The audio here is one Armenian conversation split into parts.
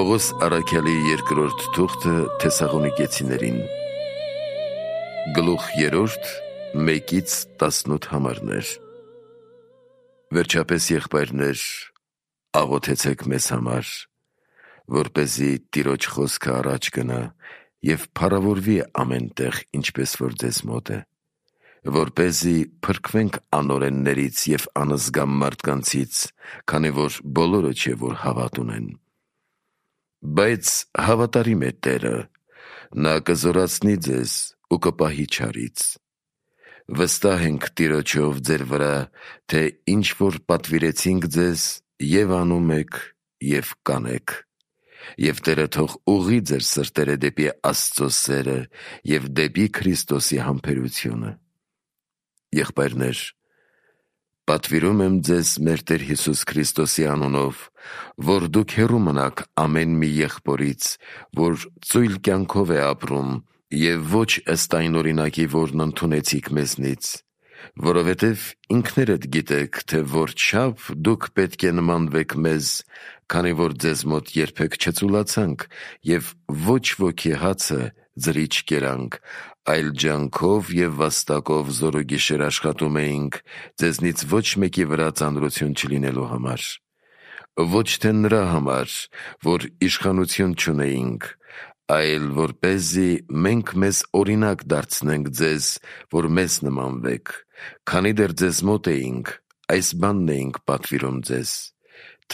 Պողոս առաքյալի երկրորդ թուղթը Թեսաղոնիկեցիներին, գլուխ 3, 1-18 համարներ։ Վերջապես, եղբայրներ, աղոթեցեք մեզ համար, որպեսզի Տիրոջ խոսքը առաջ գնա և փառավորվի ամեն տեղ, ինչպես որ ձեզ մոտ է, որպեսզի փրկվենք անօրեններից և անզգամ մարդկանցից, քանի որ բոլորը չէ, որ հավատ ունեն։ Բայց հավատարիմ է Տերը, նա կզորացնի ձեզ ու կպահի չարից։ Վստահ ենք Տիրոջով ձեր վրա, թե ինչ որ պատվիրեցինք ձեզ, և անում եք, և կանեք։ Եվ Տերը թող ուղղի ձեր սրտերը դեպի Աստծո սերը և դեպի Քրիստոսի համբերությունը։ Եղբայրներ, պատվիրում եմ ձեզ մեր Տեր Հիսուս Քրիստոսի անունով, որ դուք հեռու մնաք ամեն մի եղբորից, որ ծույլ կյանքով է ապրում, և ոչ ըստ այն օրինակի, որն ընդունեցիք մեզնից, որովհետև ինքներդ գիտեք, թե որչափ դուք պետք է նմանվեք մեզ, քանի որ ձեզ մոտ երբեք չծուլացանք և ոչ ոքի հացը ձրի չկերանք, այլ ջանքով և վաստակով զորուգիշեր աշխատում էինք, ձեզնից ոչ մեկի վրա ծանրություն չլինելու համար։ Ոչ թե նրա համար, որ իշխանություն չունեինք, այլ որպեսզի մենք մեզ օրինակ դարձնենք ձեզ, որ մեզ նմանվեք, քանի դեռ ձեզ մոտ էինք, այս բանն էինք պատվիրում ձեզ,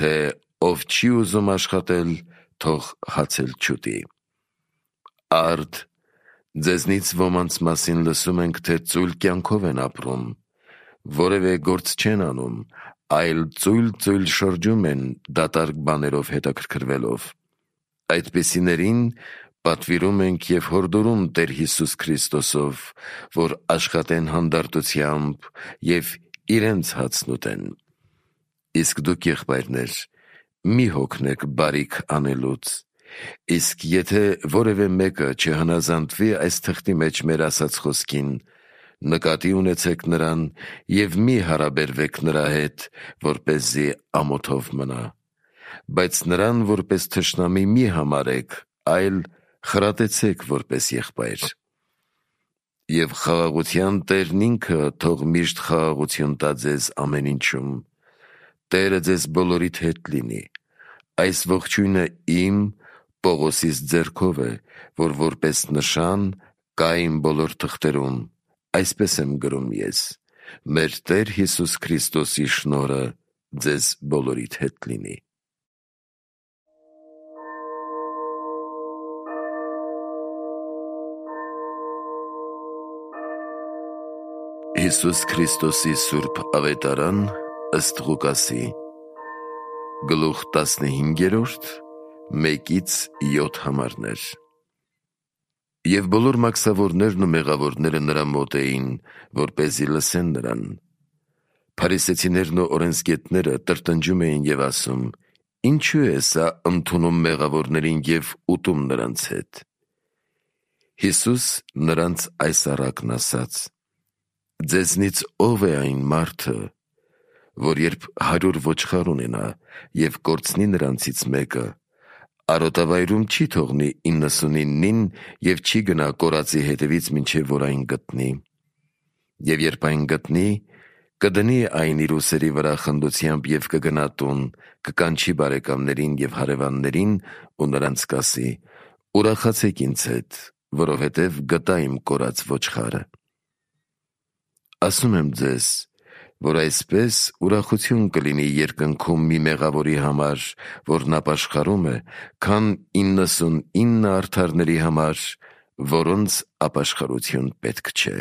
թե ով չի ուզում աշխատել, թող հացել չուտի։ Արդ, ձեզնից ոմանց մասին լսում ենք, թե ծույլ կյանքով են ապրում, որևէ գործ չեն անում, այլ ծույլ շրջում են դատարկ բաներով հետաքրքրվելով։ Այդպիսիներին պատվիրում ենք և հորդորում Տեր Հիսուս Քրիստոսով, որ աշխատեն հանդարտությամբ և իրենց հացն ուտեն։ Իսկ դուք, եղբայրներ, մի հոգնեք բարիք անելուց, իսկ եթե որևէ մեկը չհնազանդվի այս թղթի մեջ մեր ասած խոսքին, նկատի ունեցեք նրան և մի հարաբերվեք նրա հետ, որպեսզի ամոթով մնա, բայց նրան որպես թշնամի մի համարեք, այլ խրատեցեք որպես եղբայր։ Եվ խաղաղության Տերն ինքը թող միշտ խաղաղություն տա ձեզ ամեն ինչում։ Տերը ձեզ բոլորիդ հետ լինի։ Այս ողջույնը իմ, Պողոսիս ձեռքով է, որ որպես նշան կա իմ բոլոր թղթերում, այսպես եմ գրում ես. մեր Տեր Հիսուս Քրիստոսի շնորհը ձեզ բոլորիդ հետ լինի։ Հիսուս Քրիստոսի սուրբ ավետարան ըստ Ղուկասի, գլուխ 15, 1-7 համարներ։ Եվ բոլոր մաքսավորներն ու մեղավորները նրա մոտ էին, որպեսզի լսեն նրան։ Փարիսեցիներն ու օրենսգետները տրտնջում էին և ասում. «Ինչու է սա ընդունում մեղավորներին և ուտում նրանց հետ»։ Հիսուս նրանց այս առակն ասաց. «Ձեզնից ով է այն մարդը, որ երբ 100 ոչխար ունենա և կորցնի նրանցից մեկը, արոտավայրում չի թողնի 99-ին և չի գնա կորածի հետևից, մինչև որ այն գտնի։ Եվ երբ այն գտնի, կդնի այն իր ուսերի վրա խնդությամբ և կգնա տուն, կկանչի բարեկամներին և հարևաններին ու նրանց կասի. «Ուրախացեք ինձ հետ, որովհետև գտա իմ կորած ոչխարը»։ Ասում եմ ձեզ, որ այսպես ուրախություն կլինի երկնքում մի մեղավորի համար, որն ապաշխարում է, քան 99 արդարների համար, որոնց ապաշխարություն պետք չէ։